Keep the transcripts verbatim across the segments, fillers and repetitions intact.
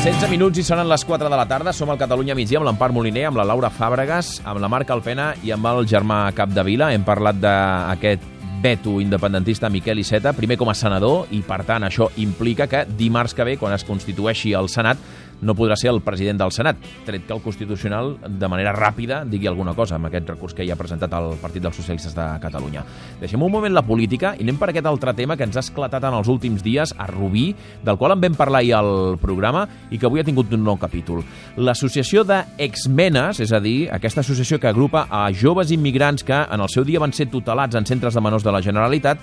setze minuts i sonen les quatre de la tarda. Som al Catalunya Migdia amb l'Empar Moliner, amb la Laura Fàbregas, amb la Marc Alpena i amb el Germà Capdevila. Hem parlat d'aquest veto independentista Miquel Iceta, primer com a senador, i per tant això implica que dimarts que ve, quan es constitueixi el Senat, no podrà ser el president del Senat, tret que el Constitucional de manera ràpida digui alguna cosa amb aquest recurs que hi ha presentat el Partit dels Socialistes de Catalunya. Deixem un moment la política i anem per aquest altre tema que ens ha esclatat en els últims dies a Rubí, del qual en vam parlar ahir al programa i que avui ha tingut un nou capítol. L'associació d'exmenes, és a dir, aquesta associació que agrupa a joves immigrants que en el seu dia van ser tutelats en centres de menors de la Generalitat,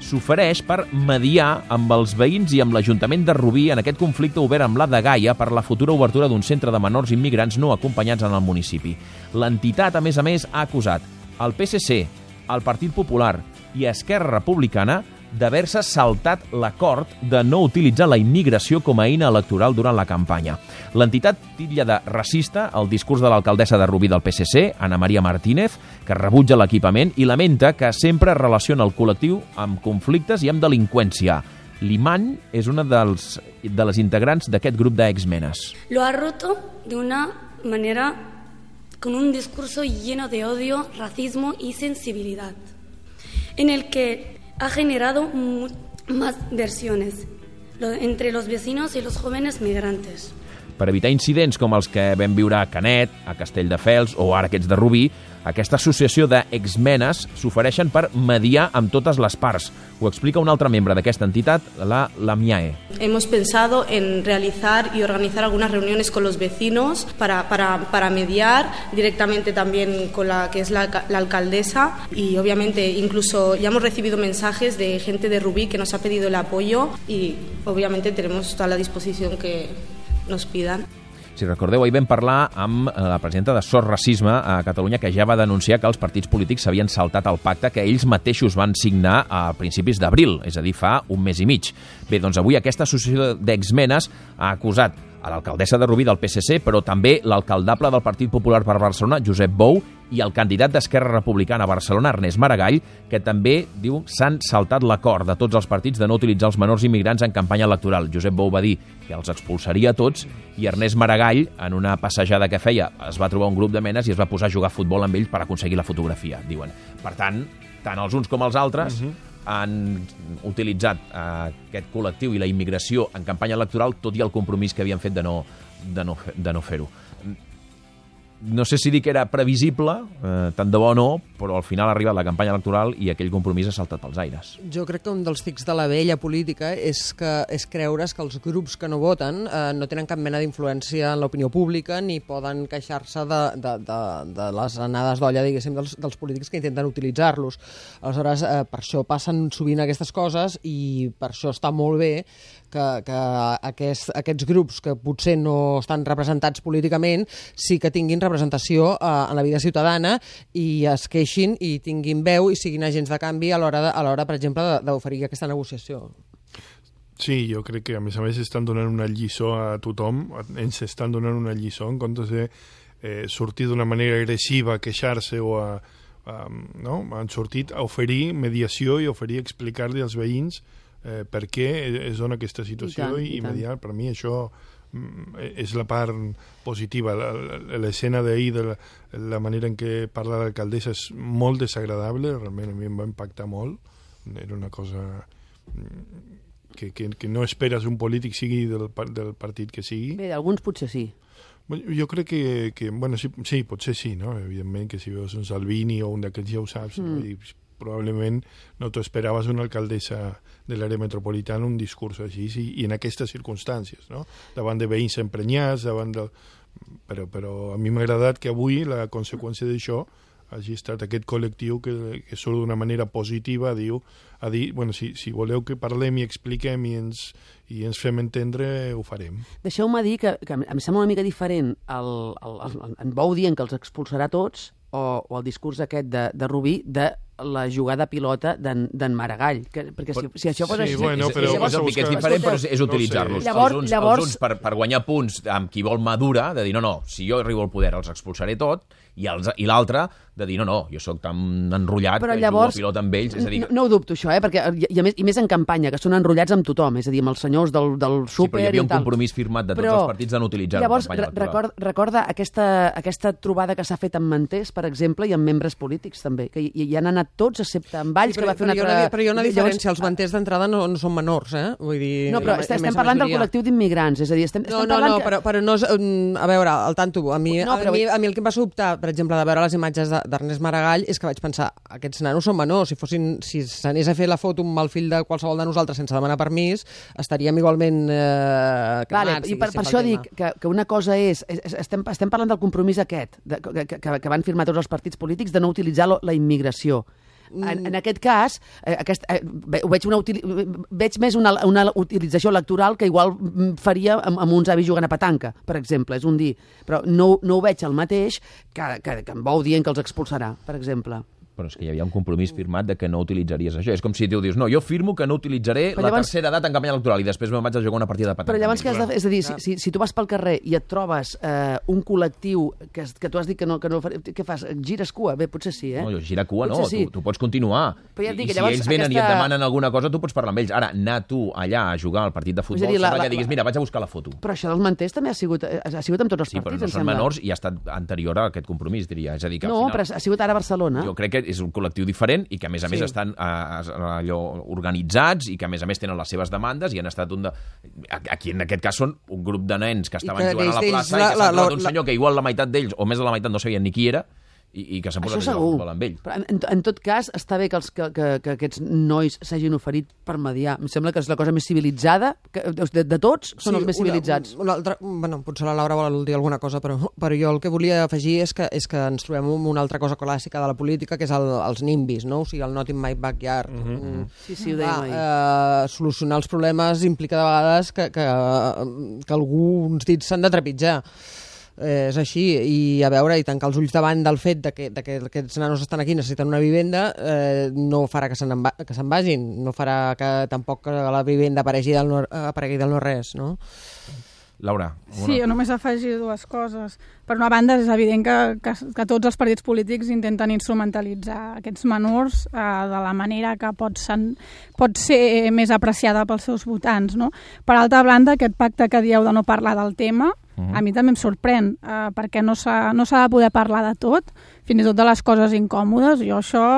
s'ofereix per mediar amb els veïns i amb l'Ajuntament de Rubí en aquest conflicte obert amb la Dgaia per la futura obertura d'un centre de menors immigrants no acompanyats en el municipi. L'entitat, a més a més, ha acusat el P S C, el Partit Popular i Esquerra Republicana d'haver-se saltat l'acord de no utilitzar la immigració com a eina electoral durant la campanya. L'entitat titlla de racista el discurs de l'alcaldessa de Rubí del P S C, Ana Maria Martínez, que rebutja l'equipament i lamenta que sempre relaciona el col·lectiu amb conflictes i amb delinqüència. L'Iman és una dels, de les integrants d'aquest grup d'exmenes. Lo ha roto de una manera con un discurso lleno de odio, racismo y sensibilidad, en el que ha generado más versiones entre los vecinos y los jóvenes migrantes. Per evitar incidents com els que vam viure a Canet, a Castelldefels o ara aquests de Rubí, aquesta associació d'exmenes s'ofereixen per mediar amb totes les parts. Ho explica un altre membre d'aquesta entitat, la Lamiae. Hemos pensado en realizar y organizar algunas reuniones con los vecinos para, para, para mediar directamente también con la que es la, la alcaldesa, y obviamente incluso ya hemos recibido mensajes de gente de Rubí que nos ha pedido el apoyo y obviamente tenemos toda la disposición que nos pidan. Si recordeu, ahir vam parlar amb la presidenta de Sos Racisme a Catalunya, que ja va denunciar que els partits polítics s'havien saltat el pacte que ells mateixos van signar a principis d'abril, és a dir, fa un mes i mig. Bé, doncs avui aquesta associació d'exmenes ha acusat a l'alcaldessa de Rubí del P S C, però també l'alcaldable del Partit Popular per Barcelona, Josep Bou, i el candidat d'Esquerra Republicana a Barcelona, Ernest Maragall, que també, diu, s'han saltat l'acord de tots els partits de no utilitzar els menors immigrants en campanya electoral. Josep Bou va dir que els expulsaria a tots i Ernest Maragall, en una passejada que feia, es va trobar un grup de menes i es va posar a jugar a futbol amb ells per aconseguir la fotografia, diuen. Per tant, tant els uns com els altres uh-huh. han utilitzat eh, aquest col·lectiu i la immigració en campanya electoral, tot i el compromís que havien fet de no, de no, de no fer-ho. No sé si dir que era previsible, eh, tant de bo no, però al final ha arribat la campanya electoral i aquell compromís ha saltat pels aires. Jo crec que un dels tics de la vella política és, que, és creure's que els grups que no voten eh, no tenen cap mena d'influència en l'opinió pública ni poden queixar-se de, de, de, de les anades d'olla, diguéssim, dels, dels polítics que intenten utilitzar-los. Aleshores, eh, per això passen sovint aquestes coses i per això està molt bé que, que aquest, aquests grups que potser no estan representats políticament sí que tinguin representació eh, en la vida ciutadana i es queixin i tinguin veu i siguin agents de canvi a l'hora, a l'hora per exemple, d'oferir aquesta negociació. Sí, jo crec que a més a més estan donant una lliçó a tothom, ens estan donant una lliçó en comptes de eh, sortir d'una manera agressiva a queixar-se o a, a, no? Han sortit a oferir mediació i oferir explicar-li als veïns eh, per què es dona aquesta situació i, tant, i, i mediar. Per mi això és la part positiva. L'escena d'ahir, de la, la manera en què parla l'alcaldessa és molt desagradable, realment a mi em va impactar molt. Era una cosa que, que, que no esperes un polític sigui del, del partit que sigui. Bé, d'alguns potser sí. Jo crec que, que bueno, sí, sí, potser sí, no? Evidentment que si veus un Salvini o un d'aquests ja ho saps, mm. no? I probablement no t'ho esperaves una alcaldessa de l'àrea metropolitana un discurs així i, i en aquestes circumstàncies, no? Davant de veïns emprenyats, davant de... Però, però a mi m'ha agradat que avui la conseqüència d'això hagi estat aquest col·lectiu que, que surt d'una manera positiva a, diu, a dir, bueno, si, si voleu que parlem i expliquem i ens, i ens fem entendre, ho farem. Deixeu-me dir que, que em sembla una mica diferent el, el, el, en Bou dient que els expulsarà tots o, o el discurs aquest de, de Rubí de la jugada pilota d'en Maragall. Que, perquè si, si això fos sí, així... bueno, però... És, és, és, és, és diferent, però és, és utilitzar-los. No sé. Llavors, els uns, llavors... els uns per, per guanyar punts amb qui vol madura, de dir, no, no, si jo arribo al poder els expulsaré tot, i, els, i l'altre de dir, no, no, jo sóc tan enrotllat però que llavors, jugo a pilota amb ells. És a dir, no, no ho dubto, això, eh? Perquè, i, i, a més, i més en campanya, que són enrotllats amb tothom, és a dir, amb els senyors del, del súper i tal. Sí, però hi havia un compromís firmat de tots però, els partits de no utilitzar-ho en llavors, campanya electoral. Record, recorda aquesta, aquesta trobada que s'ha fet amb manters, per exemple, i amb membres polítics, també, que hi, hi han anat tots, excepte amb Valls, sí, però, que va fer una altra... Una, però hi ha una diferència, llavors... els manters d'entrada no, no són menors, eh? Vull dir... No, però estem, estem parlant del col·lectiu d'immigrants, és a dir, estem, no, estem no, parlant... No, no, però, però no és... A veure, al tanto, a mi, no, però... a, mi, a mi el que em va sobtar, per exemple, de veure les imatges d'Ernest Maragall, és que vaig pensar, aquests nanos són menors, si fossin, si s'anés a fer la foto amb el fill de qualsevol de nosaltres sense demanar permís, estaríem igualment eh, cremats. Vale, i per, per això dic que, que una cosa és, és estem, estem parlant del compromís aquest, de, que, que, que van firmar tots els partits polítics de no utilitzar la, la immigració. En, en aquest cas, eh, aquest, eh, ho veig, una util, veig més una, una utilització electoral que igual faria amb, amb uns avis jugant a petanca, per exemple, és un dir. Però no, no ho veig el mateix que, que, que en Bou dient que els expulsarà, per exemple. Però és que hi havia un compromís firmat de que no utilitzaries això. És com si tu dius, no, jo firmo que no utilitzaré però la llavors... tercera edat en campanya electoral i després me'n vaig a jugar una partida de petanca. Però llavors què has de fer? És a dir, si, si, si tu vas pel carrer i et trobes eh, un col·lectiu que, que tu has dit que no, que no faré, què fas? Gires cua? Bé, potser sí, eh? No, jo gira cua potser no, sí. tu, tu pots continuar. Però ja et dic, I si llavors, ells venen aquesta... i et demanen alguna cosa, tu pots parlar amb ells. Ara, anar tu allà a jugar al partit de futbol, dir, la, sembla la, que diguis, mira, vaig a buscar la foto. Però això dels manters també ha sigut, ha sigut amb tots els sí, partits, però no em són sembla. menors i ha estat anterior a aquest compromís, diria. És a dir, que no, al final, però ha sigut ara a Barcelona. Jo crec que és un col·lectiu diferent i que a més a més sí. estan uh, allò organitzats i que a més a més tenen les seves demandes i han estat un de... Aquí en aquest cas són un grup de nens que estaven jugant a la plaça la, i que s'ha trobat un la, senyor que igual la meitat d'ells o més de la meitat no sabien ni qui era i, i que s'han posat a jugar al futbol amb ell. Però en, en tot cas, està bé que, els, que, que, que aquests nois s'hagin oferit per mediar. Em sembla que és la cosa més civilitzada, que de, de tots són sí, els més civilitzats. Una, una altra, bueno, potser la Laura vol dir alguna cosa, però, però jo el que volia afegir és que, és que ens trobem amb una altra cosa clàssica de la política, que és el, els nimbis, no? O sigui, el not in my backyard. Mm-hmm. Sí, sí, ho dèiem ahir. Eh, solucionar els problemes implica de vegades que, que, que alguns dits s'han de trepitjar. Eh, és així, i a veure, i tancar els ulls davant del fet de que, de que aquests nanos estan aquí, necessiten una vivenda, eh, no farà que se'n que se'n vagin, no farà que tampoc que la vivenda aparegui del no, aparegui del no res, no? Laura. Una... Sí, jo només afegir dues coses. Per una banda, és evident que, que, que tots els partits polítics intenten instrumentalitzar aquests menors eh, de la manera que pot, sen, pot ser més apreciada pels seus votants, no? Per altra banda, aquest pacte que dieu de no parlar del tema, uh-huh. a mi també em sorprèn, eh, perquè no s'ha no s'ha de poder parlar de tot, fins i tot de les coses incòmodes. Jo això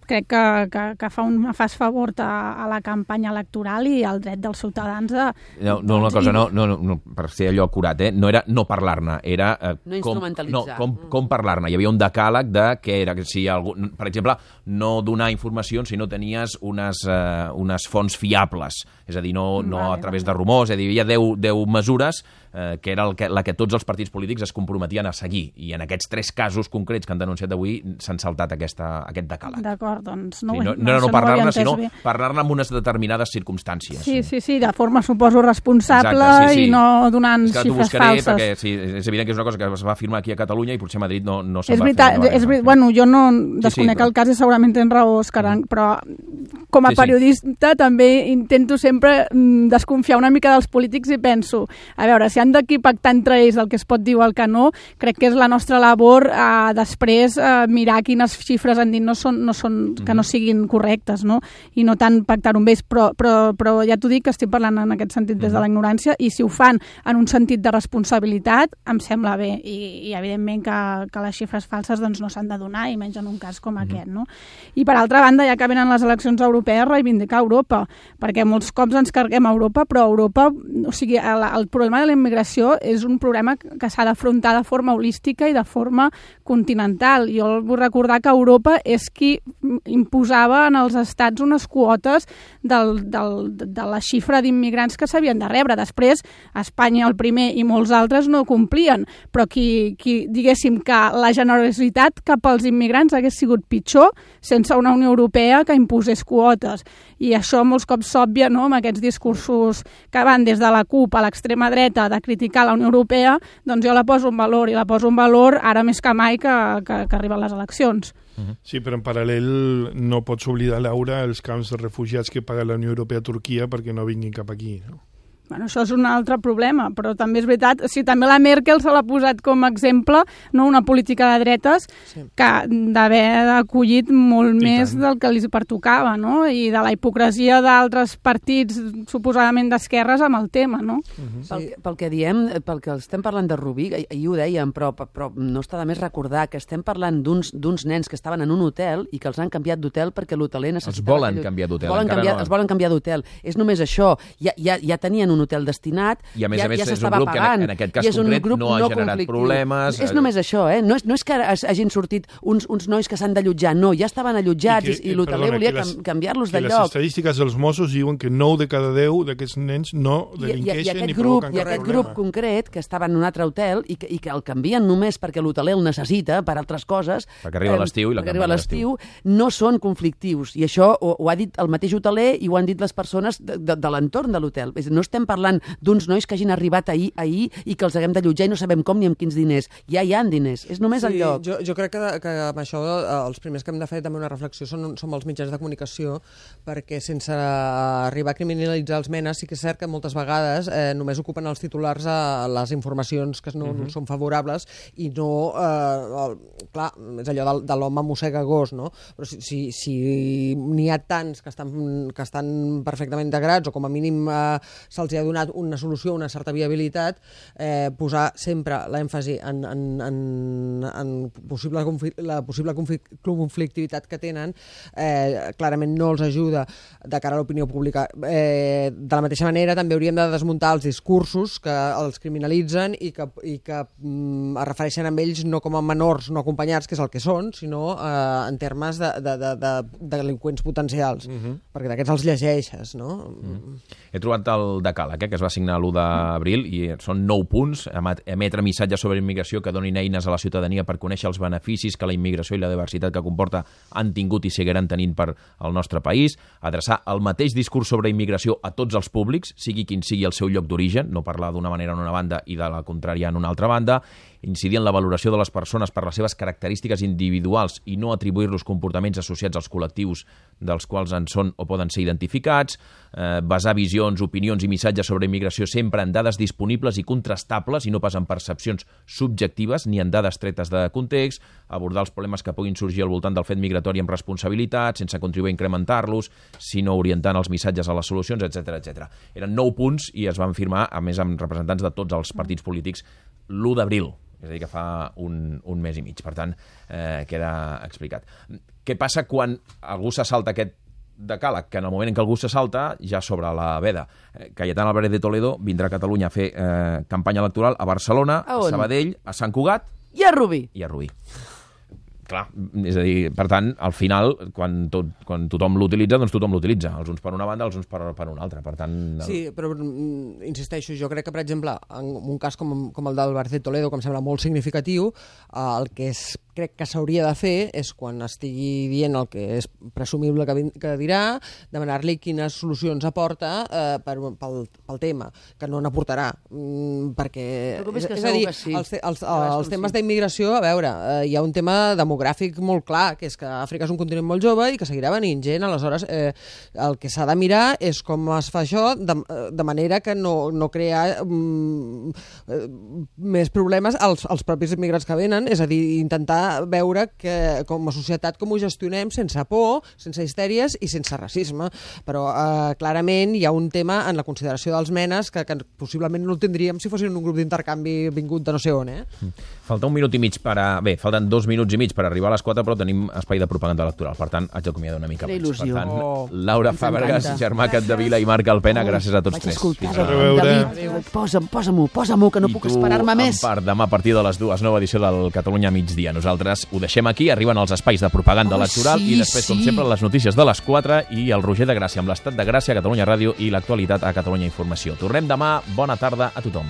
crec que, que, que fa un fas favor a, a la campanya electoral i al dret dels ciutadans de... No, no una cosa, no, no, no, per ser allò acurat, eh? No era no parlar-ne, era... Eh, no instrumentalitzar. Com, no, com, com parlar-ne. Hi havia un decàleg de que era, si algú, per exemple, no donar informacions si no tenies unes, eh, unes fonts fiables, és a dir, no, no vale, a través de rumors, és a dir, hi havia deu mesures eh, que era el que, la que tots els partits polítics es comprometien a seguir, i en aquests tres casos concrets que han denunciat avui s'han saltat aquesta, aquest decàleg. D'acord, doncs no, sí, no, no, no, no parlar-ne, no sinó parlar-ne en unes determinades circumstàncies. Sí, sí, sí, de forma, suposo, responsable. Exacte, sí, sí. I no donant és que xifres buscaré, falses. Perquè, sí, és evident que és una cosa que es va firmar aquí a Catalunya i potser a Madrid no, no se'n és va veritat, fer. És veritat, bueno, jo no desconec sí, sí, però... el cas i segurament tens raó, Òscar, mm. però com a sí, periodista sí. també intento sempre desconfiar una mica dels polítics i penso, a veure, si han d'aquí pactar entre ells el que es pot dir o el que no, crec que és la nostra labor eh, després eh, mirar quines xifres han dit no són, no són, mm-hmm. que no siguin correctes, no? I no tant pactar amb ells, però, però, però ja t'ho dic que estic parlant en aquest sentit des mm-hmm. de la ignorància, i si ho fan en un sentit de responsabilitat, em sembla bé, i, i evidentment que, que les xifres falses doncs, no s'han de donar, i menys en un cas com mm-hmm. aquest, no? I per altra banda, ja que venen les eleccions europees, reivindicar Europa, perquè molts cops ens carguem a Europa, però Europa, o sigui, el, el problema de la immigració és un problema que s'ha d'afrontar de forma holística i de forma continental. Jo vull recordar que Europa és qui imposava en els estats unes quotes del, del, de la xifra d'immigrants que s'havien de rebre. Després, Espanya, el primer, i molts altres no complien, però qui, qui diguéssim que la generositat cap als immigrants hagués sigut pitjor sense una Unió Europea que imposés quotes. I això molts cops s'òbvia, no?, amb aquests discursos que van des de la CUP a l'extrema dreta de criticar la Unió Europea, doncs jo la poso en valor, i la poso en valor ara més que mai que, que, que arriben les eleccions. Uh-huh. Sí, però en paral·lel no pots oblidar, Laura, els camps de refugiats que paga la Unió Europea a Turquia perquè no vinguin cap aquí, no? Bueno, això és un altre problema, però també és veritat, o sigui, també la Merkel se l'ha posat com a exemple, no, una política de dretes sí. que d'haver acollit molt I més tant. del que li pertocava, no? I de la hipocresia d'altres partits suposadament d'esquerres amb el tema, no? Uh-huh. pel, pel que diem, pel que estem parlant de Rubí, ahir ho dèiem, però, però no està de més recordar que estem parlant d'uns d'uns nens que estaven en un hotel i que els han canviat d'hotel perquè l'hoteler necessitava... Els volen canviar d'hotel. Els volen canviar, no... els volen canviar d'hotel. És només això. Ja, ja, ja tenien un hotel destinat, i a més ja, a més ja és un grup pagant, que en, en aquest cas concret no ha no generat conflictiu. problemes. És només això, eh? No és, no és que hagin sortit uns, uns nois que s'han d'allotjar, no, ja estaven allotjats i, que, i l'hoteler volia les, canviar-los de lloc. Les estadístiques dels Mossos diuen que nou de cada deu d'aquests nens no delinqueixen ni provoquen cap problema. I aquest grup concret, que estava en un altre hotel i que, i que el canvien només perquè l'hoteler el necessita per altres coses, perquè arriba eh, l'estiu i la arriba l'estiu, no són conflictius. I això ho, ho ha dit el mateix hoteler i ho han dit les persones de, de, de l'entorn de l'hotel. No estem parlant d'uns nois que hagin arribat ahir, ahir i que els haguem d'allotjar i no sabem com ni amb quins diners. Ja hi ha diners, és només sí, el lloc. Jo, jo crec que, que amb això els primers que hem de fer també una reflexió són, són els mitjans de comunicació, perquè sense arribar a criminalitzar els menes sí que és cert que moltes vegades eh, només ocupen els titulars a les informacions que no, uh-huh. no són favorables i no... Eh, el, clar, és allò de, de l'home mossega gos, no? Però si, si, si n'hi ha tants que estan, que estan perfectament integrats o com a mínim eh, se'ls ha donat una solució, una certa viabilitat, eh, posar sempre l'èmfasi en, en, en, en possible la possible conflictivitat que tenen, eh, clarament no els ajuda de cara a l'opinió pública. Eh, de la mateixa manera, també hauríem de desmuntar els discursos que els criminalitzen i que, i que mm, es refereixen a ells no com a menors no acompanyats, que és el que són, sinó eh, en termes de, de, de, de, de delinqüents potencials, uh-huh. perquè d'aquests els llegeixes, no? Uh-huh. He trobat el decàleg, eh, que es va signar l'u d'abril, i són nou punts: emetre missatges sobre immigració que donin eines a la ciutadania per conèixer els beneficis que la immigració i la diversitat que comporta han tingut i seguiran tenint per al nostre país, adreçar el mateix discurs sobre immigració a tots els públics, sigui quin sigui el seu lloc d'origen, no parlar d'una manera en una banda i de la contrària en una altra banda, incidir en la valoració de les persones per les seves característiques individuals i no atribuir-los comportaments associats als col·lectius dels quals en són o poden ser identificats, eh, basar visions, opinions i missatges sobre immigració sempre en dades disponibles i contrastables i no pas en percepcions subjectives ni en dades tretes de context, abordar els problemes que puguin sorgir al voltant del fet migratori amb responsabilitat, sense contribuir a incrementar-los, sinó orientant els missatges a les solucions, etcètera, etcètera. Eren nou punts i es van firmar, a més, amb representants de tots els partits polítics l'u d'abril, és a dir, que fa un, un mes i mig. Per tant, eh, queda explicat. Què passa quan algú se salta aquest decàleg? Que en el moment en què algú se salta, ja sobre la veda. Eh, Cayetana Álvarez de Toledo vindrà a Catalunya a fer eh, campanya electoral a Barcelona, a, a Sabadell, a Sant Cugat... I a Rubí. I a Rubí. Clar, és a dir, per tant, al final, quan, tot, quan tothom l'utilitza, doncs tothom l'utilitza. Els uns per una banda, els uns per, per una altra. Per tant, el... Sí, però insisteixo, jo crec que, per exemple, en un cas com, com el d'Álvarez de Toledo, que em sembla molt significatiu, el que és, crec que s'hauria de fer és, quan estigui dient el que és presumible que, que dirà, demanar-li quines solucions aporta eh, per, pel, pel tema, que no n'aportarà. Mm, perquè, és, és a dir, sí. els, els, els, els temes d'immigració, a veure, eh, hi ha un tema demogràfic molt clar, que és que Àfrica és un continent molt jove i que seguirà venint gent. Aleshores, eh, el que s'ha de mirar és com es fa això de, de manera que no, no crea mm, eh, més problemes als, als propis immigrants que venen, és a dir, intentar veure que com a societat com ho gestionem sense por, sense histèries i sense racisme. Però eh, clarament hi ha un tema en la consideració dels menes que, que possiblement no el tindríem si fossin un grup d'intercanvi vingut de no sé on. Eh? Falta un minut i mig per a... Bé, falten dos minuts i mig per arribar a les quatre, però tenim espai de propaganda electoral. Per tant, haig d'acomiadar una mica abans. Per tant, oh, Laura Fàbregas, Germà Capdevila i Marc Alpena, gràcies a tots vaig tres. Escoltar, a veure. David, posa'm, posa-m'ho, posa-m'ho, que no I puc esperar-me més. I tu, en part, demà a partir de les dues, nova edició del Catalunya migdia. Nosaltres ho deixem aquí, arriben els espais de propaganda oh, electoral sí, i després, sí. com sempre, les notícies de les quatre i el Roger de Gràcia amb l'estat de Gràcia a Catalunya Ràdio i l'actualitat a Catalunya Informació. Tornem demà. Bona tarda a tothom.